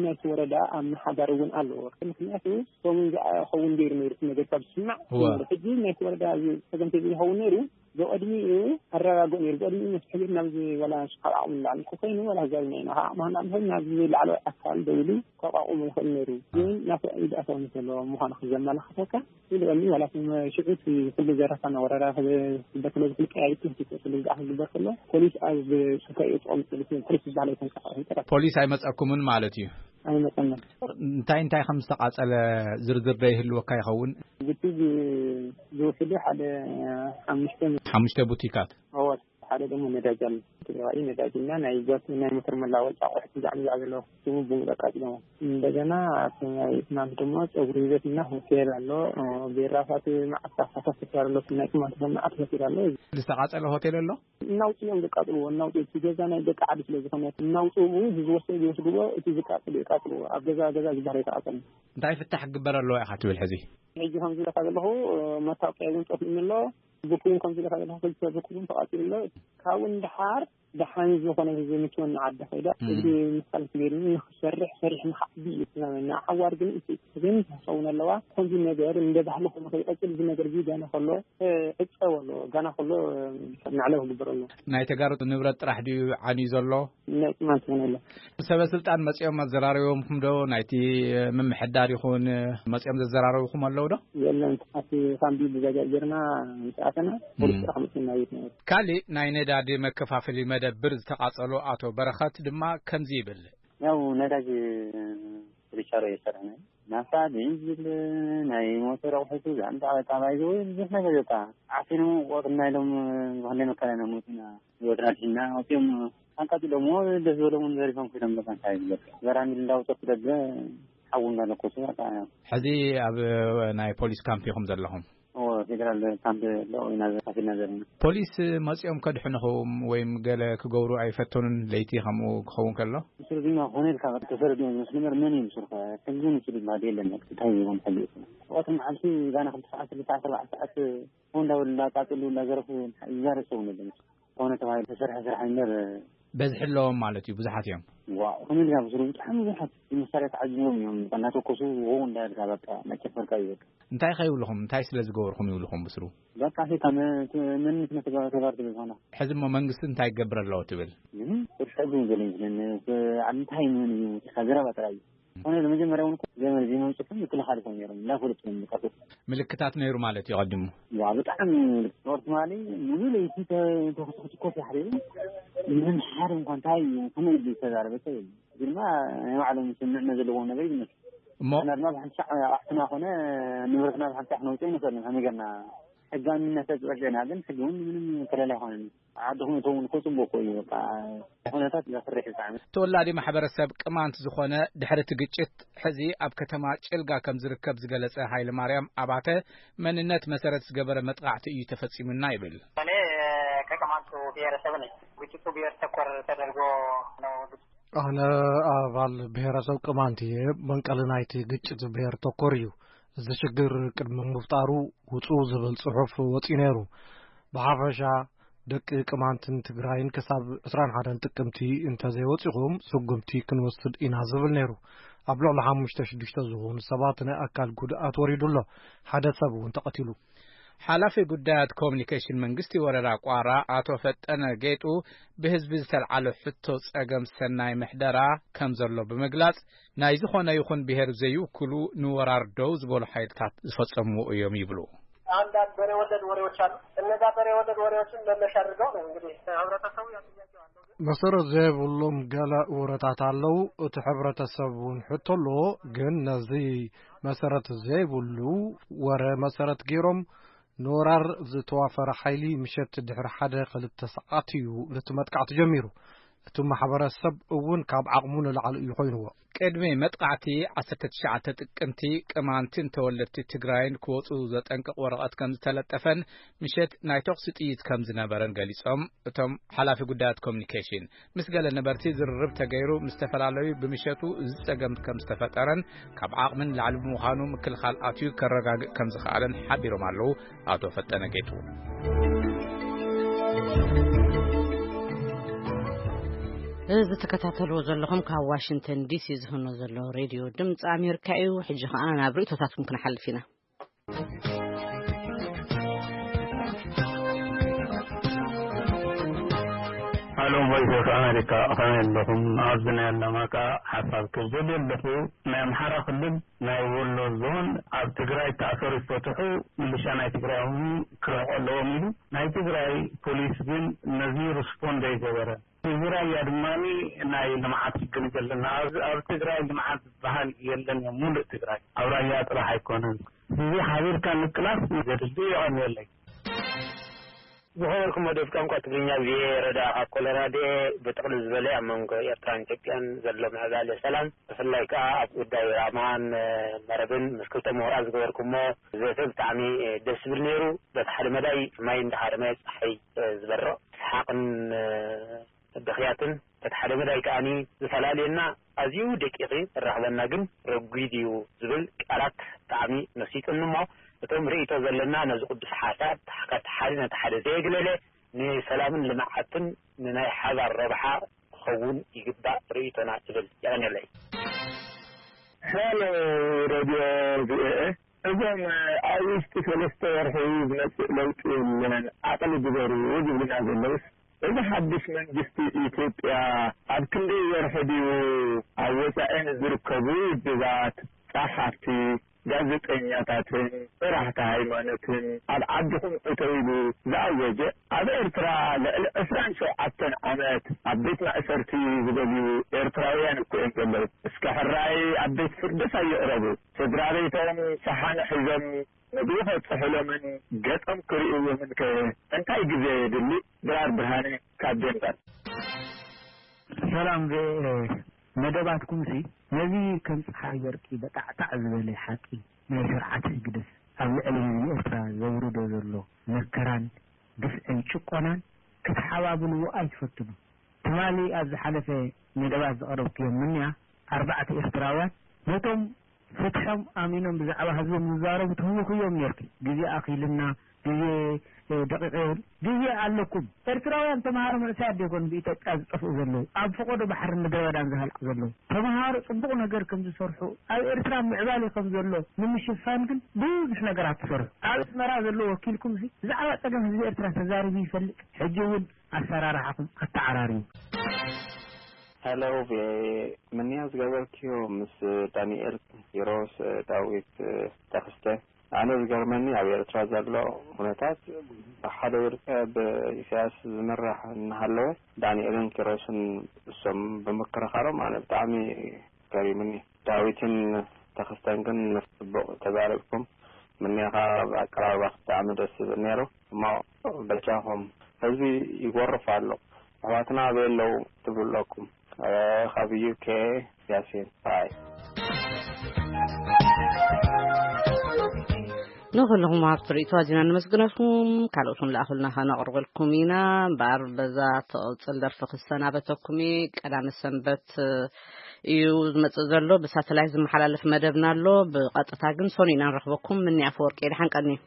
ናይቲ ወረዳ ኣመሓዳሪ እውን ኣለዎ። ምክንያቱ ሰሙን ዝኸውን ገይሩ ነይሩ እቲ ነገር ካብ ዝስማዕ እወ። ሕጂ ናይቲ ወረዳ እዚ ፀገም ተዘይኸውን ነይሩ። ብቕድሚኡ ኣረጋግኡ ነይሩ። ብቕድሚኡ መስሕብ ናብዚ ዋላ ንሱ ካብ ዓቕሙ ንላዕሊ እኮ ኮይኑ ዋላ ዛብ ናይ ናኻ ዓቕምና እንተኾይኑ ናብዚ ላዕለዋይ ኣካል ደውሉ ከቋቑሙ ይኽእል ነይሩ። ግን ናተ ኢድ ኣተው ዘሎ ምዃኑ ክዘመላኽተካ ኢሉ እኒ ዋላ ሽዑ እቲ ኩሉ ዘረፋና ወረራ ክበክሎ ዝኽእል ቀያይት ክልቀያ ክግበር ከሎ ፖሊስ ኣብ ሱካ እዩ ጥቕሚ ፖሊስ ዝበሃል ኣይተንቀሳቐስን ጥራሕ። ፖሊስ ኣይመጸኩምን ማለት እዩ? ኣይመጸና። እንታይ እንታይ ከም ዝተቓጸለ ዝርዝር ዶ ይህልወካ ይኸውን? ብቲ ዝ- ዝውሕዱ ሓደ ሓሙሽተ ሓሙሽተ ቡቲካት። ኣወት ሓደ ደግሞ ነዳጅ ኣሎ። ትግራዋይ ነዳጅ እና ናይ ጓት ናይ ሞተር መላወጫ ኣቑሑት ብዛዕባ ብዛዕባ ዘለዎ ስሙ ብምጠቃስ ደግሞ እንደገና ኣብቲ ናይ ትናንት ድማ ፀጉሪ ቤት እና ሆቴል ኣሎ። ቤራፋት መዓት ካሳሳት ተሰርሎ ናይ ቅማንት መዓት ሆቴል ኣሎ። ዝተቓጸለ ሆቴል ኣሎ? እናውፅኦም ዘቃጥልዎ እናውፅኡ እቲ ገዛ ናይ ደቂ ዓዲ ስለ ዝኾነ እናውፅኡ ዝወሰዱ ይወስድዎ። እቲ ዝቃጥሉ ይቃጥልዎ። ኣብ ገዛ ገዛ ዝበሃል ኣይተቃፀልን። እንታይ ፍታሕ ክግበር ኣለዎ ኢኻ ትብል ሕዚ? ሕጂ ከምዚ ኢለካ ዘለኹ መታወቂያ እውን ጠፊኡኒ ኣሎ። ብኩውን ከምዚ ኢለካ ዘለኹ ክልተ ብኩውን ተቃፂሉ ኣሎ። ካብኡ ንድሓር ደሓን ዝኾነ ህዝቢ ምችወኒ ዓዲ ከይዳ እም። እግሪ ምሳል ትገይርኒ ንክሰርሕ ሰሪሕ ንክዓቢ እዩ ትዛመና። ሓዋር ግን እቲ ግን ክኸውን ኣለዋ። ከምዚ ነገር እንደ ባህሊ ኮይኑ ከይቀፅል እዚ ነገር እዚ ጋና ከሎ ዕፀው ኣሎ። ጋና ከሎ መዕለብ ክግበር ኣሎ። ናይ ተጋሩ ንብረት ጥራሕ ድዩ ዓንዩ ዘሎ? ናይ ቅማንት እውን ኣሎ። ሰበ ስልጣን መፂኦም ኣዘራሪቦምኩም ዶ? ናይቲ ምምሕዳር ይኹን መፂኦም ዘዘራረብኹም ኣለዉ ዶ? የለን። ኣብቲ ካምቢ ብዛጋ ጌርና ምስ ኣተና ፖሊስ ጥራሕ መፅና ቤት ነበር። ካሊእ ናይ ነዳዲ መከፋፈሊ መደብር ዝተቓጸሎ ኣቶ በረኸት ድማ ከምዚ ይብል። ያው ነዳጅ ርቻሮ እየሰርሕና። ናፍታ፣ ቤንዚል፣ ናይ ሞተር ኣቑሑት፣ ዛንታ፣ ታባይ፣ ወይ ብዙሕ ነገር በቃ። ዓፊኑ ቆርና ኢሎም ብክንደይ መከራ ኢና መፂና። ህይወትና ድሒና ወፂኦም ኣቃፂሎሞ ደስ ዝበሎም ዘሪፎም ኮይኖም በቃ እንታይ ዝበል። በራሚል እንዳውፀቱ ደገ ሓዊ እንዳለኮሱ በቃ። ሕዚ ኣብ ናይ ፖሊስ ካምፕ ኢኹም ዘለኹም? እዎ፣ ፌደራል ካምፕ ኣለዎ ኢና ካፊና ዘለና። ፖሊስ መፂኦም ከድሕንኹም ወይም ገለ ክገብሩ ኣይፈተኑን ለይቲ ከምኡ ክኸውን ከሎ? ምስሉ ድማ ኮነ ኢልካ ተፈረድ መስልመር መን እዩ ምስልካ? ሕጊ ምስሉ ይበሃል የለን። እንታይ ይኸውን ሕጊ? ወቅት መዓልቲ ጋና ክልተ ሰዓት፣ ክልተ ሰዓት፣ ኣርባዕተ ሰዓት እንዳበሉ እንዳቃፅሉ እንዳዘረፉ ይዛረብ ሰው ነበር። ኮነ ተባሂሉ ተሰርሐ ስራሕ እምበር በዝሒ ኣለዎም ማለት እዩ፣ ብዙሓት እዮም። ዋው፣ ከመይ ኢልካ ብስሩ ብጣዕሚ ብዙሓት መሳርያ ተዓዚቦም እዮም። እናተኮሱ ሆ እንዳበልካ በቃ መጨፈርካ እዩ በቃ። እንታይ ከይብልኹም፣ እንታይ ስለ ዝገበርኹም ይብልኹም ብስሩ? በቃ ሴታ መ-፣ መንነት መተጋ-፣ ተጋር ትብል ዝኾና። ሕዚ እሞ መንግስቲ እንታይ ክገብር ኣለዎ ትብል? ምንም፣ ቁርሲ ሕዚ እውን ገለ ይመስለኒ። ብ-፣ ኣብ እንታይ ምን እዩ? ሴታ ዘረባ ጥራይ እዩ። ኮነ መጀመርያ እውን እኮ ገመድ ዘይመምፅኩም ይክልኻል ይኾን ነይሮም። እንዳፈለጡ እዮም ዝቀርቡ። ምልክታት ነይሩ ማለት እዩ ቀዲሙ? ዋ፣ ብጣዕሚ ምልክት። ኖርማሊ ሙሉ ለይቲ ተ-፣ ተኩስ ክትኮስ ይሓደሩ። ምንም ሓደ እንኳን እንታይ እዩ፣ ከመይ ኢሉ ዝተዛረበ ሰብ የለን። ግርማ ናይ ባዕሎም ስምዕና ዘለዎም ነገር ይመስል። እሞ ንሕና ድማ ብሓንሳዕ ኣሕትና ኮነ ንብረትና ብሓንሳዕ ክነውፅእ ይንኽእል ኢና። ከመይ ጌርና ሕጋውነት ተፅበቅ ዜና ግን ሕጂ እውን ምንም ከለላ ኣይኮነን። ዓድኹም እተውን እኮ ፅቡቅ እኮ እዩ። በቃ ኩነታት ዘፍርሕ እዩ ብጣዕሚ። ተወላዲ ማሕበረሰብ ቅማንት ዝኾነ ድሕሪ እቲ ግጭት ሕዚ ኣብ ከተማ ጭልጋ ከም ዝርከብ ዝገለጸ ሃይለ ማርያም ኣባተ መንነት መሰረት ዝገበረ መጥቃዕቲ እዩ ተፈጺሙና ይብል። እኔ ከቅማንቱ ብሔረሰብ ነኝ። ግጭቱ ብሔር ተኮር ተደርጎ ነው። ኣነ ኣባል ብሔረሰብ ቅማንት እየ። መንቀሊ ናይቲ ግጭት ብሔር ተኮር እዩ። እዚ ሽግር ቅድሚ ምፍጣሩ ውጹ ዝብል ጽሑፍ ወጺኡ ነይሩ። ብሓፈሻ ደቂ ቅማንትን ትግራይን ክሳብ ዕስራን ሓደን ጥቅምቲ እንተዘይወጺኹም ስጉምቲ ክንወስድ ኢና ዝብል ነይሩ። ኣብ ልዕሊ ሓሙሽተ ሽዱሽተ ዝኾኑ ሰባት ናይ ኣካል ጉድኣት ወሪዱ ኣሎ። ሓደ ሰብ እውን ተቐቲሉ። ሓላፊ ጉዳያት ኮሚኒኬሽን መንግስቲ ወረዳ ቋራ ኣቶ ፈጠነ ጌጡ ብህዝቢ ዝተልዓለ ሕቶ ጸገም ሰናይ ምሕደራ ከም ዘሎ ብምግላጽ ናይ ዝኾነ ይኹን ብሔር ዘይውክሉ ንወራር ደው ዝበሉ ሓይልታት ዝፈጸምዎ እዮም ይብሉ። አንዳንድ በሬ ወለድ ወሬዎች አሉ። እነዛ በሬ ወለድ ወሬዎችን መነሻ አድርገው ነው እንግዲህ ህብረተሰቡ ያው ጥያቄው አለው። መሰረት ዘይብሎም ገለ ወረታት ኣለዉ። እቲ ሕብረተሰብ እውን ሕቶ ኣለዎ። ግን ነዚ መሰረት ዘይብሉ ወረ መሰረት ገይሮም ንወራር ዝተዋፈረ ሓይሊ ምሸት ድሕሪ ሓደ ክልተ ሰዓት እዩ ነቲ መጥቃዕቲ ጀሚሩ። እቲ ማሕበረሰብ እውን ካብ ዓቕሙ ንላዕሊ እዩ ኮይንዎ። ቅድሚ መጥቃዕቲ ዓሰርተ ትሽዓተ ጥቅምቲ ቅማንትን ተወለድቲ ትግራይን ክወፁ ዘጠንቅቕ ወረቐት ከም ዝተለጠፈን ምሸት ናይ ተኹሲ ጥይት ከም ዝነበረን ገሊጾም እቶም ሓላፊ ጉዳያት ኮሚኒኬሽን። ምስ ገለ ነበርቲ ዝርርብ ተገይሩ ምስ ዝተፈላለዩ ብምሸቱ እዚ ጸገም ከም ዝተፈጠረን ካብ ዓቕሚ ንላዕሊ ብምዃኑ ምክልኻል ኣትዩ ከረጋግእ ከም ዝኸኣለን ሓቢሮም ኣለዉ ኣቶ ፈጠነ ጌጡ። እዚ ትከታተልዎ ዘለኹም ካብ ዋሽንግተን ዲሲ ዝህኖ ዘሎ ሬድዮ ድምፂ ኣሜሪካ እዩ። ሕጂ ኸኣ ናብ ርእይቶታትኩም ክንሓልፍ ኢና። ሎም ቮይስ ኦፍ ኣሜሪካ፣ ከመይ ኣለኹም? ኣብዚ ናይ ኣለማጣ ሓሳብ ክብል ዘለኹ፣ ናይ ኣምሓራ ክልል ናይ ወሎ ዞን ኣብ ትግራይ ተኣሰሩ ይፈትሑ፣ ምልሻ ናይ ትግራይ እውን ክለቆ ኣለዎም ኢሉ። ናይ ትግራይ ፖሊስ ግን ነዚ ሪስፖንድ ኣይገበረን። እዚ ራያ ድማ ናይ ልምዓት ሽግር ዘለና፣ ኣብ ኣብ ትግራይ ልምዓት ዝበሃል የለን። ሙሉእ ትግራይ ኣብ ራያ ጥራሕ ኣይኮነን። እዚ ሓቢርካ ምቅላስ ዘድሊ ይቐንየለይ። ዝኸበርኩም ወደብ ቋንቋ ትግርኛ ቪኦኤ፣ ረዳ ካብ ኮሎራዶ። ብጥቕልል ዝበለ ኣብ መንጎ ኤርትራን ኢትዮጵያን ዘሎ ምዕባለ ሰላም፣ ብፍላይ ከኣ ኣብ ጉዳይ ራማን መረብን ምስ ክልተ ምሁራት ዝገበርኩሞ ዘተ ብጣዕሚ ደስ ዝብል ነይሩ። በቲ ሓደ መዳይ ማይ እንዳሃረመ ጸሓይ ዝበርቕ ሰሓቕን ብኽያትን፣ በቲ ሓደ መዳይ ከኣኒ ዝፈላልየና ኣዝዩ ደቂቕ እራኽበና ግን ረጒድ እዩ ዝብል ቃላት ብጣዕሚ መሲጡኒ እሞ፣ እቶም ርእይቶ ዘለና ነዚ ቅዱስ ሓሳብ ካብ ሓደ ነቲ ሓደ ዘየግለለ ንሰላምን ልምዓትን ንናይ ሓባር ረብሓ ክኸውን ይግባእ ርእይቶና እብል። የቐንየለይ። ሄሎ ሬድዮ ቪኦኤ፣ እዞም ኣብ ውሽጢ ሰለስተ ወርሒ ዝመጽእ ለውጢ የለን፣ ዓቕሊ ግበሩ ዝብሉና ዘለውስ፣ እዚ ሓድሽ መንግስቲ ኢትዮጵያ ኣብ ክንደይ ወርሒ ድዩ ኣብ ወጻኢ ንዝርከቡ ውድባት፣ ጸሓፍቲ፣ ጋዜጠኛታትን መራሕቲ ሃይማኖትን ኣብ ዓድኹም እተው ኢሉ ዝኣወጀ፣ ኣብ ኤርትራ ልዕሊ ዕስራን ሸውዓተን ዓመት ኣብ ቤት ማእሰርቲ ዝበልዩ ኤርትራውያን እኮ እዮም ዘለዉ። እስከ ሕራይ ኣብ ቤት ፍርድስ ኣይቕረቡ። ስድራ ቤቶም ሸሓነ ሒዞም ምግቢ ከብጽሑሎምን ገጾም ክርእይዎምን ከ እንታይ ግዜ የድሊ? ድራር ብርሃነ ካብ ዴንቨር። ሰላም ቪኦኤ፣ መደባትኩምሲ ነዚ ከም ጸሓይ በርቂ በጣዕጣዕ ዝበለ ሓቂ ናይ ስርዓት ህግደፍ ኣብ ልዕሊ ህዝቢ ኤርትራ ዘውርዶ ዘሎ መከራን ግፍዕን ጭቆናን ክትሓባብልዎ ኣይትፈትኑ። ትማሊ ኣብ ዝሓለፈ መደባት ዘቕረብኩዮም ምንያ ኣርባዕተ ኤርትራውያን ነቶም ፍትሖም ኣሚኖም ብዛዕባ ህዝቦም ዝዛረቡ ትህውኽዮም ኔርኪ። ግዜ ኣኺልና፣ ግዜ፣ እ፣ ደቂቕ የብሉ። ግዜ ኣለኩም። ኤርትራውያን ተምሃሮ መንእሰያት ዶ ይኾኑ ብኢትዮጵያ ዝጠፍኡ ዘለዉ? ኣብ ፈቐዶ ባሕርን ምድረ በዳን ዝሃልቁ ዘለዉ? ተምሃሮ ጽቡቕ ነገር ከም ዝሰርሑ፣ ኣብ ኤርትራ ምዕባለ ከም ዘሎ ንምሽፋን ግን ብዙሕ ነገራት ትሰርሑ። ኣብ ኣስመራ ዘሎ ወኪልኩም እዚ ብዛዕባ ጸገም ህዝቢ ኤርትራ ተዛሪቡ ይፈልጥ? ሕጂ እውን ኣሰራርሓኹም ኣተዓራርዩ። ሄሎ ቪኦኤ፣ ምንያ ዝገበርክዮ ምስ ዳንኤል ኪሮስ፣ ዳዊት ተኽስተ። ኣነ ዝገርመኒ ኣብ ኤርትራ ዘሎ ኩነታት ብሓደ ውልቀ ብኢሳያስ ዝምራሕ እናሃለወ ዳንኤልን ኪሮስን እሶም ብምክርኻሮም ኣነ ብጣዕሚ ገሪሙኒ። ዳዊትን ተኽስተን ግን ጽቡቕ ተዛሪብኩም። ምንያ ከኣ ኣቀራርባኹም ብጣዕሚ ደስ ዝብል ነይሩ። እሞ በጃኹም ህዝቢ ይጎርፍ ኣሎ። ኣሕዋትና ኣበይ ኣለዉ ትብሉ ኣለኩም? ካብ ዩኬ ያሲን ባይ። ንኹልኹም ሃብቲ ርእይቶ ኣዚና ነመስግነኩም። ካልኦት እውን ለኣኹልና ከነቕርበልኩም ኢና። እምበኣር በዛ ትቕጽል ደርፊ ክሰናበተኩም እየ። ቀዳመ ሰንበት እዩ ዝመጽእ ዘሎ። ብሳተላይት ዝመሓላለፍ መደብና ኣሎ። ብቐጥታ ግን ሰኑይ ኢና ንረኽበኩም። ምኒ ኣፈወርቂ፣ ደሓን ቀንዩ።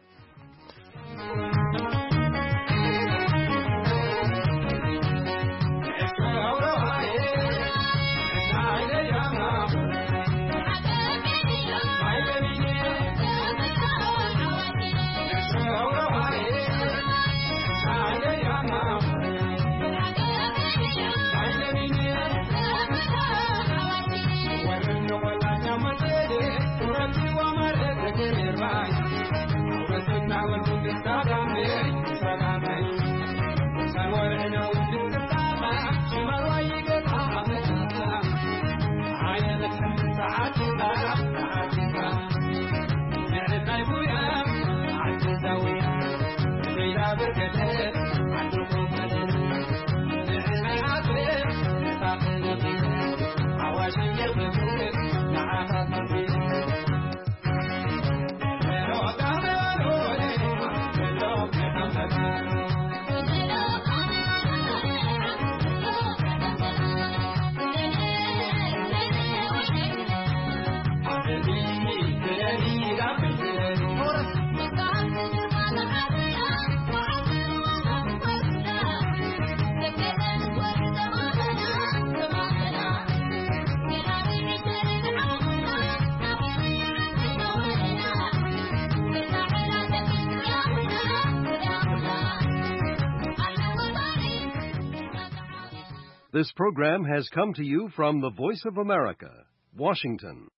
This program has come to you from the Voice of America, Washington.